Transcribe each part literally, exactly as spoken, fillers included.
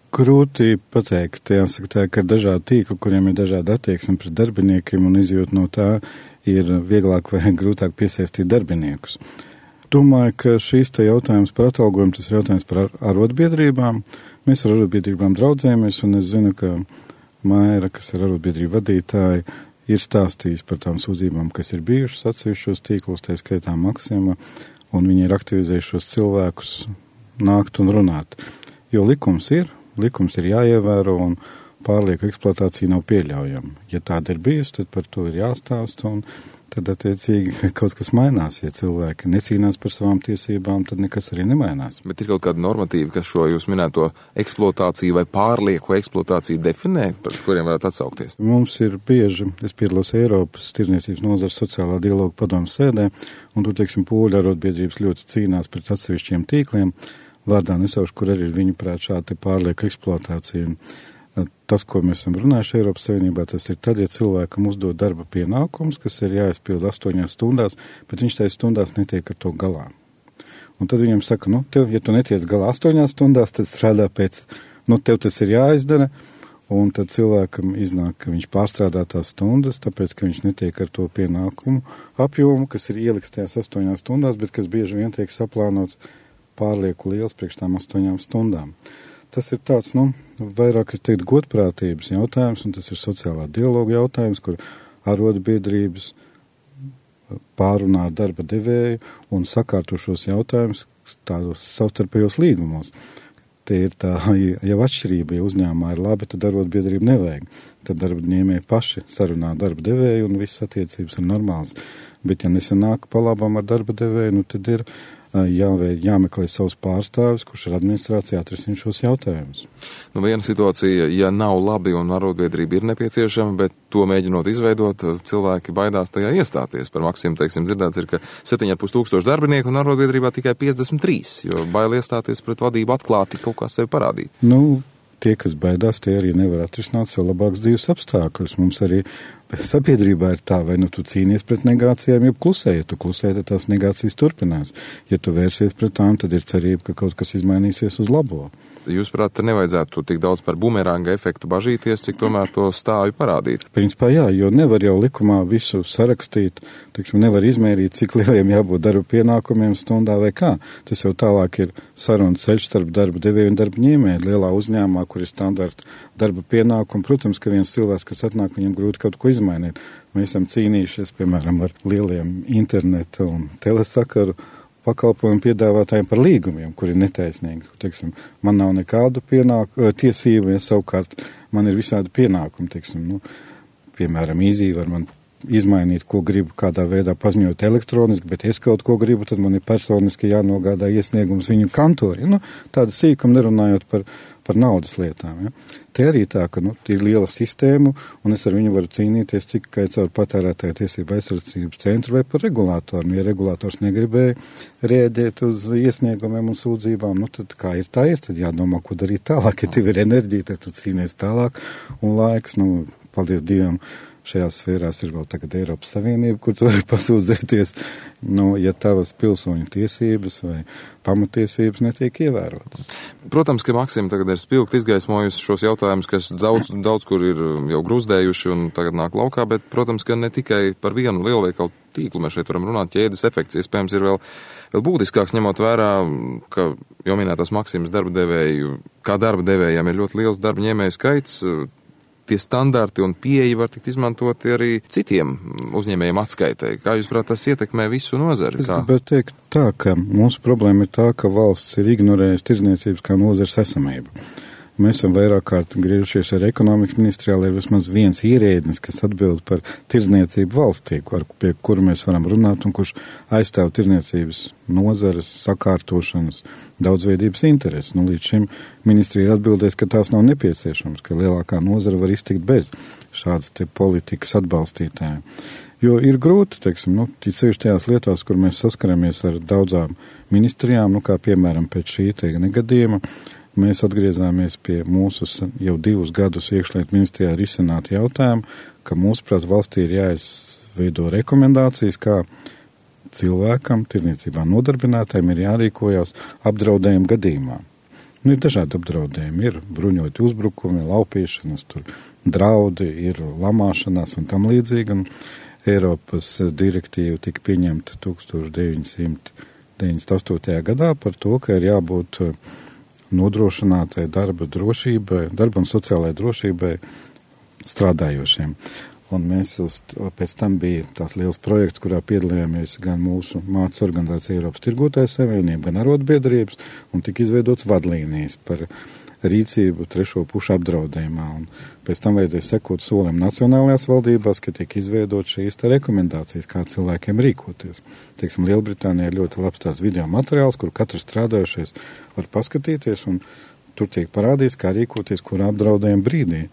Grūti pateikt, jāsaka tā, ka ir dažādi tīkli, kuriem ir dažādi attieksmi pret darbiniekiem un izjūt no tā ir vieglāk vai grūtāk piesaistīt darbiniekus. Domāju, ka šīs te jautājums par atalgojumu, tas ir jautājums par arotbiedrībām. Mēs ar arotbiedrībām draudzējamies, un es zinu, ka Maira, kas ir arotbiedrība vadītāja, ir stāstījis par tām sūdzībām, kas ir bijušas atsevišķos tīklos, tā skaitā Maksima, un viņi ir aktivizējušos cilvēkus nākt un runāt. Jo likums ir, likums ir jāievēro, un pārlieku eksploatācija nav pieļaujama. Ja tāda ir bijusi, tad par to ir jāstāsta, un tad attiecīgi kaut kas mainās. Ja cilvēki necīnās par savām tiesībām, tad nekas arī nemainās. Bet ir kaut kādi normatīvi, kas šo jūs minēto eksploatāciju vai pārlieku eksploatāciju definē, par kuriem varētu atsaukties? Mums ir bieži, es piedalos Eiropas tirdzniecības nozares sociālā dialoga padomu sēdē, un tur, teiksim, poļu arotbiedrības ļoti cīnās pret atsevišķiem tīkliem, vārdā nesaušu, kur arī ir viņu prāt šāda pārlieku eksploatācija. Tas, ko mēs esam runājuši Eiropas Savienībā, tas ir tad, ja cilvēkam uzdod darba pienākums, kas ir jāizpilda astoņās stundās, bet viņš tajās stundās netiek ar to galā. Un tad viņam saka, nu, tev, ja tu netiec galā astoņās stundās, tad strādā pēc, nu, tev tas ir jāizdara, un tad cilvēkam iznāk, ka viņš pārstrādā tās stundas, tāpēc, ka viņš netiek ar to pienākumu apjomu, kas ir ieliks tajās astoņās stundās, bet kas bieži vien tiek saplānots pārlieku liels priekš tām astoņām stundām. Tas ir tāds, nu, vairāk, es teiktu, godprātības jautājums, un tas ir sociālā dialoga jautājums, kur arotbiedrības pārunā darba devēju un sakārto šos jautājumus tādos savstarpējos līgumos. Te ir tā jau atšķirība, ja uzņēmumā ir labi, tad arotbiedrība nevajag. Tad darba ņēmēji paši sarunā darba devēju un visas attiecības ir normāls. Bet ja nesanāk pa labam ar darba devēju, nu tad ir jāvē, jāmeklē savus pārstāvis, kurš ar administrāciju atrisina šos jautājumus. Nu, viena situācija, ja nav labi un arotbiedrība ir nepieciešama, bet to mēģinot izveidot, cilvēki baidās tajā iestāties. Par Maksimu, teiksim, dzirdēts ir, ka septiņi ar pus tūkstoši darbinieku un arotbiedrībā tikai piecdesmit trīs, jo bail iestāties pret vadību atklāti kaut kā sevi parādīt. Nu, tie, kas baidās, tie arī nevar atrisināt sev labāks dzīves apstākļus. Mums arī sabiedrībā ir tā, vai nu tu cīnies pret negācijām, ja klusē, ja tu klusē, tad tās negācijas turpinās. Ja tu vērsies pret tām, tad ir cerība, ka kaut kas izmainīsies uz labo. Jūs, prāt, te nevajadzētu tik daudz par bumeranga efektu bažīties, cik tomēr to stāju parādīt? Principā jā, jo nevar jau likumā visu sarakstīt, teiksim, nevar izmērīt, cik lieliem jābūt darba pienākumiem stundā vai kā. Tas jau tālāk ir saruna ceļš starp darba devēju un darba ņēmēju. Lielā uzņēmumā, kur ir standarta darba pienākumi, protams, ka viens cilvēks, kas atnāk, viņam grūti kaut ko izmainīt. Mēs esam cīnījušies, piemēram, ar lieliem interneta un telesakaru pakalpojumu piedāvātājiem par līgumiem, kuri ir netaisnīgi. Teiksim, man nav nekādu pienāku, tiesību, ja savukārt man ir visādi pienākumi. Teiksim, nu, piemēram, īzī var man izmainīt, ko gribu, kādā veidā paziņot elektroniski, bet es kaut ko gribu, tad man ir personiski jānogādā iesniegums viņu kantori. Nu, tāda sīkuma nerunājot par, par naudas lietām. Ja. Te arī tā, ka nu, ir liela sistēma, un es ar viņu varu cīnīties tikai caur patērētāju tiesību aizsardzības centru vai par regulātoru. Nu, ja regulātors negribēja rēģēt uz iesniegumiem un sūdzībām, nu tad kā ir tā ir, tad jādomā, ko darīt tālāk. Ja tev ir enerģija, tad tu cīnies tālāk, un laiks, nu, paldies Dievam, šajās sfērās ir vēl tagad Eiropas Savienība, kur tu vari pasūdzēties, nu, ja tavas pilsoņu tiesības vai pamatiesības netiek ievērotas. Protams, ka Maksima tagad ir spilgt izgaismojusi šos jautājumus, kas daudz, daudz kur ir jau grūzdējuši un tagad nāk laukā, bet, protams, ka ne tikai par vienu lielveikalu tīklu mēs šeit varam runāt, ķēdes efekts iespējams ir vēl, vēl būtiskāks, ņemot vērā, ka jau minētās Maksimas darba devēju, kā darba devējiem ir ļoti liels darba ņēmēju skaits, tie standarti un pieeja var tikt izmantoti arī citiem uzņēmējiem atskaitai. Kā jūs, prāt, tas ietekmē visu nozari? Es gribētu teikt tā, ka mūsu problēma ir tā, ka valsts ir ignorējusi tirdzniecības kā nozares esamību. Mēs esam vairāk kārt griežušies ar ekonomikas ministrijā, lai vismaz viens ierēdnis, kas atbild par tirdzniecību valstī, ar, pie kura mēs varam runāt un kurš aizstāv tirdzniecības nozares, sakārtošanas, daudzveidības intereses. Nu, līdz šim ministrija ir atbildējis, ka tās nav nepieciešams, ka lielākā nozara var iztikt bez šādas te politikas atbalstītājiem. Jo ir grūti, teiksim, nu, sevišķi tajās lietās, kur mēs saskaramies ar daudzām ministrijām, nu, kā piemēram pēc šī te negadījuma, mēs atgriezāmies pie mūsu jau divus gadus iekšlietu ministrijā risināt jautājumu, ka mūsuprāt valstī ir jāizveido rekomendācijas, kā cilvēkam, tirniecībā nodarbinātājiem ir jārīkojās apdraudējuma gadījumā. Nu, ir dažādi apdraudējumi, ir bruņoti uzbrukumi, laupīšanas, tur draudi, ir lamāšanās un tam līdzīgi. Un Eiropas direktīva tika pieņemta tukstur deviņsimt deviņdesmit astotajā gadā par to, ka ir jābūt nodrošinātai darba drošībai, darba un sociālai drošībai strādājošiem. Un mēs uz, pēc tam bija tās liels projekts, kurā piedalījāmies gan mūsu mācas organizācija Eiropas Tirgotāju savienība, gan arotbiedrības, un tika izveidots vadlīnijas par rīcību trešo pušu apdraudējumā. Un pēc tam vajadzēja sekot solim nacionālajās valdībās, ka tiek izveidot šīs te rekomendācijas, kā cilvēkiem rīkoties. Teiksim, Lielbritānijā ir ļoti labs tās video materiāls, kur katrs strādājušais var paskatīties, un tur tiek parādīts, kā rīkoties, kurā apdraudējuma brīdī.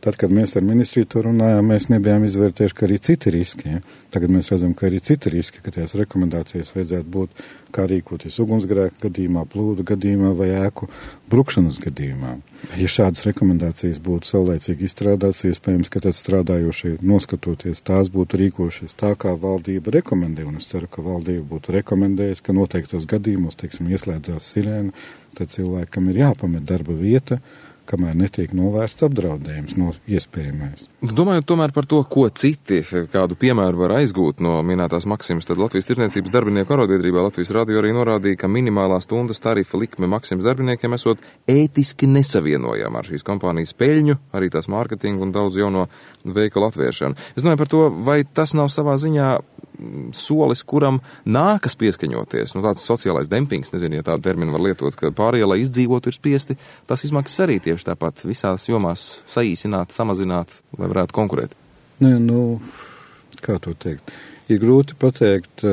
Tad, kad mēs ar ministriju to runājām, mēs nebijām izvērtējuši, ka arī citi riski. Ja? Tagad mēs redzam, ka arī citi riski, ka tajās rekomendācijas vajadzētu būt, kā rīkoties ugunsgrēka gadījumā, plūdu gadījumā vai ēku brukšanas gadījumā. Ja šādas rekomendācijas būtu saulēcīgi izstrādātas, iespējams, ka tad strādājošie noskatoties tās būtu rīkojušies tā, kā valdība rekomendē, un es ceru, ka valdība būtu rekomendējusi, ka noteiktos gadījumos, teiksim, ieslēdzās sirēna, tad cilvēkam ir jāpamet darba vieta, kamēr netiek novērsts apdraudējums no iespējamais. Domājot tomēr par to, ko citi, kādu piemēru var aizgūt no minētās Maksimas, tad Latvijas Tirdzniecības darbinieku arotbiedrībā Latvijas radio arī norādīja, ka minimālā stundas tarifa likme Maksimas darbiniekiem esot ētiski nesavienojama ar šīs kompānijas peļņu, arī tās mārketingu un daudz jauno veikalu atvēršanu. Es domāju par to, vai tas nav savā ziņā solis, kuram nākas pieskaņoties. Nu, tāds sociālais dempings, nezinu, ja tādu terminu var lietot, ka pārējie, lai izdzīvotu, ir spiesti tas izmaksas arī tieši tāpat visās jomās saīsināt, samazināt, lai varētu konkurēt. Nē, nu, kā to teikt? Ir grūti pateikt,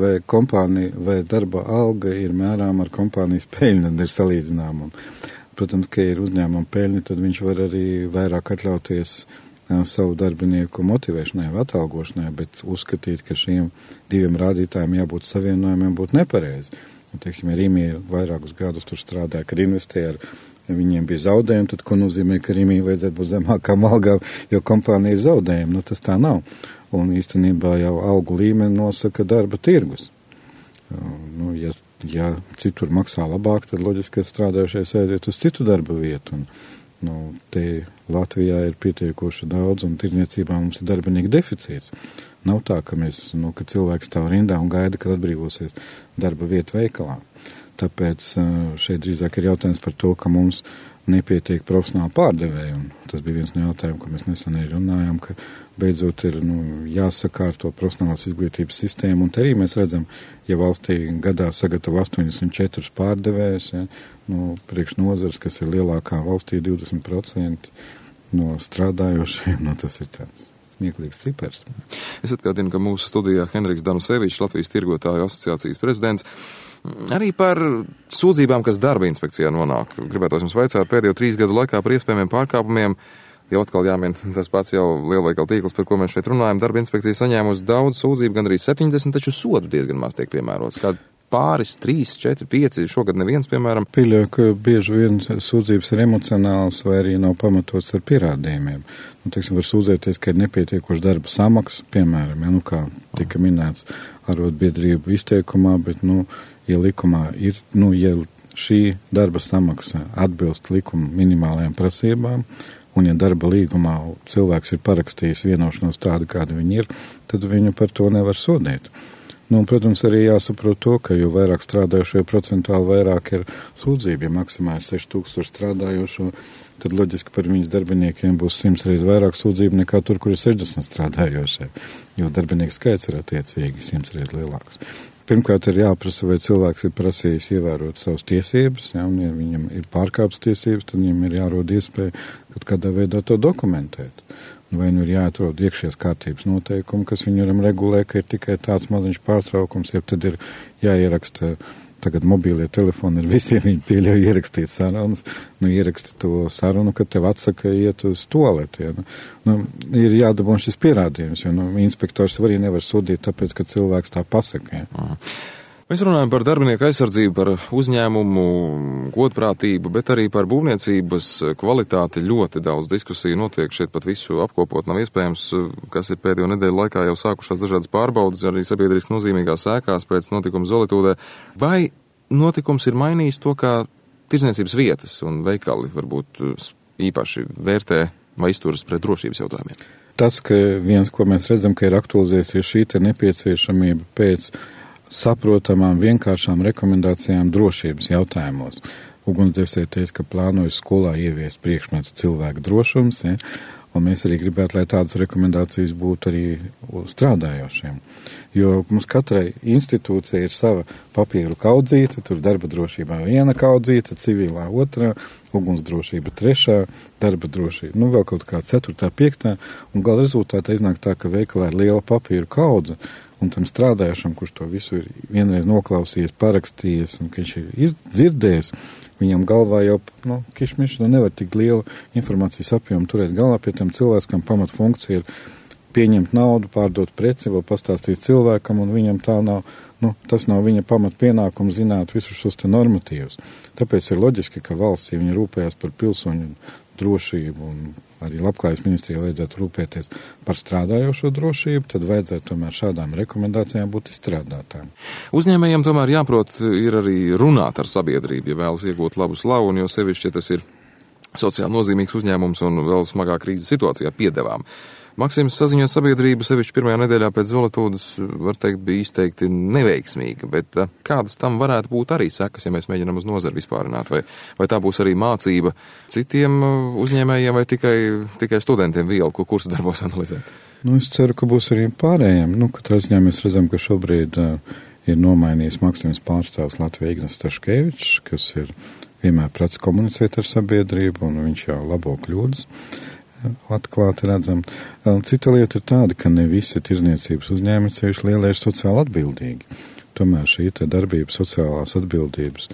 vai kompānija, vai darba alga ir mērām ar kompānijas peļņu, tad ir salīdzinām. Un, protams, ka ir uzņēmuma peļņa, tad viņš var arī vairāk atļauties savu darbinieku motivēšanai vai atalgošanai, bet uzskatīt, ka šiem diviem rādītājiem jābūt savienojumiem, būtu nepareizi. Un, teiksim, ja Rīmī vairākus gadus tur strādāja, kad investēja, ar viņiem bija zaudējumi, tad ko nozīmē, ka Rīmī vajadzētu būt zemākām algām, jo kompānija ir zaudējumi. Nu, tas tā nav. Un īstenībā jau algu līmeni nosaka darba tirgus. Nu, ja, ja citur maksā labāk, tad loģiski, ka strādājušies aiziet uz citu darba vietu. Un, nu, te Latvijā ir pietiekoši daudz, un tirdzniecībā mums ir darbinieku deficīts. Nav tā, ka, mēs, nu, ka cilvēks stāv rindā un gaida, kad atbrīvosies darba vieta veikalā. Tāpēc šeit drīzāk ir jautājums par to, ka mums nepietiek profesionāli pārdevēji, un tas bija viens no jautājumiem, ko mēs nesen arī runājām, ka beidzot ir nu, jāsakārto profesionālās izglītības sistēma, un te arī mēs redzam, ja valstī gadā sagatavo astoņdesmit četrus pārdevējus, ja, no priekš nozars, kas ir lielākā valstī divdesmit procenti no strādājošiem, nu tas ir tāds smieklīgs cipars. Es atgādinu, ka mūsu studijā Henriks Danusevičs, Latvijas Tirgotāju asociācijas prezidents, arī par sūdzībām, kas darba inspekcijā nonāk. Gribētu jums vaicāt pēdējo trīs gadu laikā par iespējamiem pārkāpumiem. Jau atkal jāmin tas pats jau lielveikala tīkls, par ko mēs šeit runājam. Darba inspekcija saņēmusi daudz sūdzību, gan arī septiņdesmit, taču sodu diezgan maz tiek piemērots. Kā pāris, trīs, četri, pieci, šogad neviens, piemēram. Pieļauju, ka bieži vien sūdzības ir emocionāls vai arī nav pamatots ar pierādījumiem. Nu, teiksim, var sūdzēties, ka ir nepietiekoši darba samaksa, piemēram, ja, nu, kā tika minēts arotbiedrību izteikumā, bet, nu, ja likumā ir, nu, ja šī darba samaksa atbilst likuma minimālajām prasībām, un ja darba līgumā cilvēks ir parakstījis vienošanos tādu, kāda viņi ir, tad viņu par to nevar sodīt. Nu, un, protams, arī jāsaprot to, ka jo vairāk strādājošo, jo procentuāli vairāk ir sūdzība. Ja maksimā ir seši tūkstoši strādājošo, tad loģiski par viņas darbiniekiem būs simts reiz vairāk sūdzību nekā tur, kur ir sešdesmit strādājošie, jo darbinieku skaits ir attiecīgi simts reiz lielāks. Pirmkārt, ir jāprasa, vai cilvēks ir prasījis ievērot savas tiesības, ja, un ja viņam ir pārkāptas tiesības, tad viņam ir jārod iespēja kaut kādā veidā to dokumentēt. Vai nu ir jāatrod iekšējās kārtības noteikumi, kas viņam regulē, ka ir tikai tāds maziņš pārtraukums, ja tad ir jāieraksta, tagad mobīlie telefoni ir visiem, viņi pieļauj ierakstīt sarunas, nu ieraksti to sarunu, kad tev atsaka iet uz toaleti. Ja, nu, nu, ir jādabūn šis pierādījums, jo nu, inspektors arī nevar sodīt, tāpēc, ka cilvēks tā pasaka. Ja. Mēs runājam par darbinieku aizsardzību, par uzņēmumu godprātību, bet arī par būvniecības kvalitāti. Ļoti daudz diskusiju notiek, šeit pat visu apkopot nav iespējams, kas ir pēdējo nedēļu laikā jau sākušās dažādas pārbaudas, arī sabiedriski nozīmīgās ēkās pēc notikuma Zolitūdē. Vai notikums ir mainījis to, kā tirdzniecības vietas un veikali varbūt īpaši vērtē vai izturas pret drošības jautājumiem? Tas, ka viens, ko mēs redzam, ka ir aktualizējusies šī te nepieciešamība pēc saprotamām, vienkāršām rekomendācijām drošības jautājumos. Ugunsdzēsēji teica, ka plānojas skolā ieviest priekšmetu cilvēku drošums, ja? Un mēs arī gribētu, lai tādas rekomendācijas būtu arī strādājošiem. Jo mums katrai institūcija ir sava papīru kaudzīte, tur darba drošībā viena kaudzīte, civilā otrā, ugunsdrošība trešā, darba drošība, nu vēl kaut kā ceturtā, piektā, un gala rezultātā iznāk tā, ka veikalā ir liela papīru kaudze, un tam strādājušam, kurš to visu ir vienreiz noklausījies, parakstījies, un ka viņš ir izdzirdējis, viņam galvā jau, nu, kišmiši, nu nevar tik lielu informācijas apjomu turēt galvā, pie tam cilvēkam pamat funkcija ir pieņemt naudu, pārdot preci, vēl pastāstīt cilvēkam, un viņam tā nav, nu, tas nav viņa pamat pienākums zināt visus šos te normatīvus. Tāpēc ir loģiski, ka valsts, ja viņi rūpējās par pilsoņu drošību un arī labklājības ministrijai vajadzētu rūpēties par strādājošo drošību, tad vajadzētu tomēr šādām rekomendācijām būt izstrādātām. Uzņēmējiem tomēr jāprot ir arī runāt ar sabiedrību, ja vēlas iegūt labu slavu, un jo sevišķi, ja tas ir sociāli nozīmīgs uzņēmums un vēl smagā krīzes situācijā piedevām. Maksims saziņot sabiedrību sevišķi pirmajā nedēļā pēc Zolatūdas, var teikt, bija izteikti neveiksmīga, bet kādas tam varētu būt arī sekas, ja mēs mēģinām uz nozari vispārināt, vai, vai tā būs arī mācība citiem uzņēmējiem vai tikai, tikai studentiem vielu, ko kursu darbos analizēt? Nu, es ceru, ka būs arī pārējiem. Nu, katrā ziņā mēs redzam, ka šobrīd uh, ir nomainījis Maksims pārstāvs Latvijas Ignas Staškevičs, kas ir vienmēr prats komunicēt ar sabiedrību, un viņš jau labo kļūdas. Atklāti redzam. Cita lieta ir tāda, ka ne visi tirdzniecības uzņēmumi ceļš lielie ir sociāli atbildīgi. Tomēr šī te darbība sociālās atbildības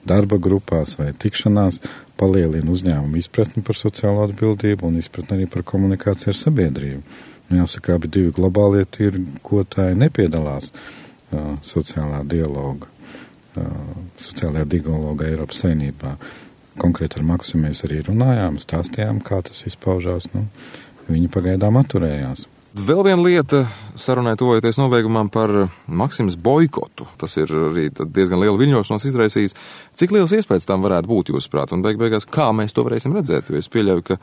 darba grupās vai tikšanās palielina uzņēmumu izpratni par sociālo atbildību un izpratni arī par komunikāciju ar sabiedrību. Nu, jāsaka, abi divi globālie tirgotāji nepiedalās uh, sociālā dialoga, uh, sociālajā dialogā Eiropas Savienībā. Konkrēti ar Maksimu mēs arī runājām, stāstījām, kā tas izpaužās. Nu, viņi pagaidām atturējās. Vēl viena lieta, sarunai tuvojoties nobeigumam par Maksimas boikotu. Tas ir arī diezgan liela viļņošanos izraisījis. Cik liels iespējas tam varētu būt, jūsuprāt, un beig beigās, kā mēs to varēsim redzēt? Jo es pieļauju, ka,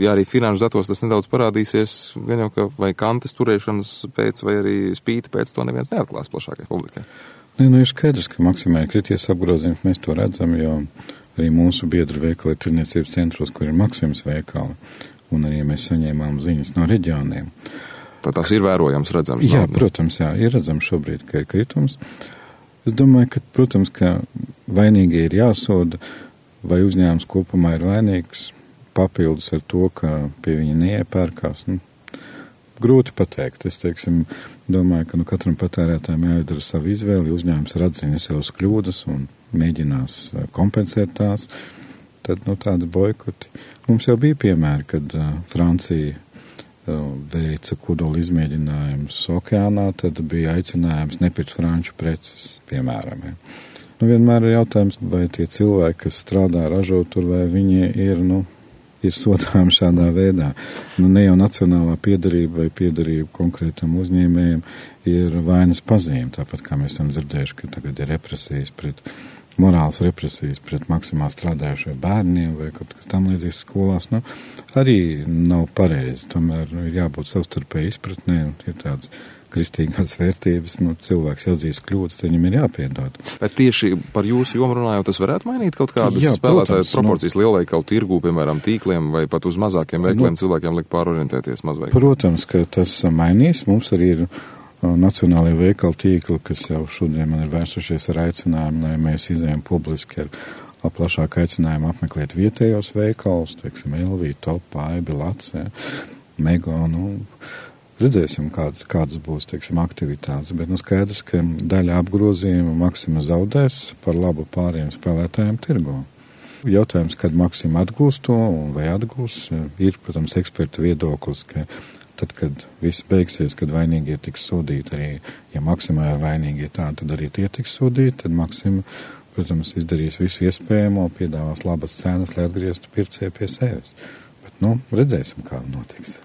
ja arī finanšu datos tas nedaudz parādīsies, gan jau, ka vai kantes turēšanas pēc, vai arī spīti pēc, to neviens neatklās plašākai publikai. Nē, nu ir skaidrs, ka Maksimai ir krities apgrozījums, mēs to redzam, jo arī mūsu biedru veikali ir tirdzniecības centros, kur ir Maksimas veikali, un arī mēs saņēmām ziņas no reģioniem. Tā tās ir vērojams, redzams? Jā, nav, protams, jā, ir redzams šobrīd, ka ir kritums. Es domāju, ka, protams, ka vainīgie ir jāsoda, vai uzņēmums kopumā ir vainīgs, papildus ar to, ka pie viņa neiepērkās. Nu, grūti pateikt. Es, teiksim, domāju, ka nu, katram patērētājiem jāizdara savu izvēli, uzņēmums ir atzinis savas kļūdas un mēģinās kompensēt tās, tad, nu, tādi boikoti. Mums jau bija piemēri, kad uh, Francija uh, veica kodola izmēģinājumus okeānā, tad bija aicinājums nepirkt franču preces, piemēram. Ja. Nu, vienmēr ir jautājums, vai tie cilvēki, kas strādā, ražo tur, vai viņi ir, nu, ir sodām šādā veidā. Nu, ne jau nacionālā piederība vai piederība konkrētam uzņēmējiem ir vainas pazīme, tāpat kā mēs esam dzirdējuši, ka tagad ir represijas pret morāls represijas pret Maksimā strādājušo bērniem vai kaut kas tam līdzīgs skolās, nu, arī nav pareizi. Tomēr nu, ir jābūt savstarpēji izpratnē, un ir tādas kristīgās vērtības, nu, cilvēks atzīst kļūdas, tad viņam ir jāpiedod. Bet tieši par jūsu jomu runājot, tas varētu mainīt kaut kādas Jā, spēlētāju protams, proporcijas nu, lielveikalu tirgū, piemēram, tīkliem vai pat uz mazākiem veikaliem nu, cilvēkiem liek pārorientēties mazveikaliem? Protams, ka tas mainīs. Mums arī ir nacionālajie veikalu tīkli, kas jau šodien man ir vērsušies ar aicinājumu, lai mēs izējām publiski ar plašāku aicinājumu apmeklēt vietējos veikalus, teiksim, Elvī, Top, Aibi, Lace, Mego, nu, redzēsim, kādas, kādas būs, teiksim, aktivitātes, bet nu skaidrs, ka daļa apgrozījuma Maksima zaudēs par labu pāriem spēlētājiem tirgo. Jautājums, kad Maksima atgūs to un vai atgūs, ir, protams, eksperta viedoklis, ka tad, kad viss beigsies, kad vainīgie tiks sodīti, arī, ja Maksimā ir vainīgie tā, tad arī tie tiks sodīti, tad Maksima, protams, izdarīs visu iespējamo, piedāvās labas cenas, lai atgrieztu pircēju pie sevis. Bet, nu, redzēsim, kā notiks.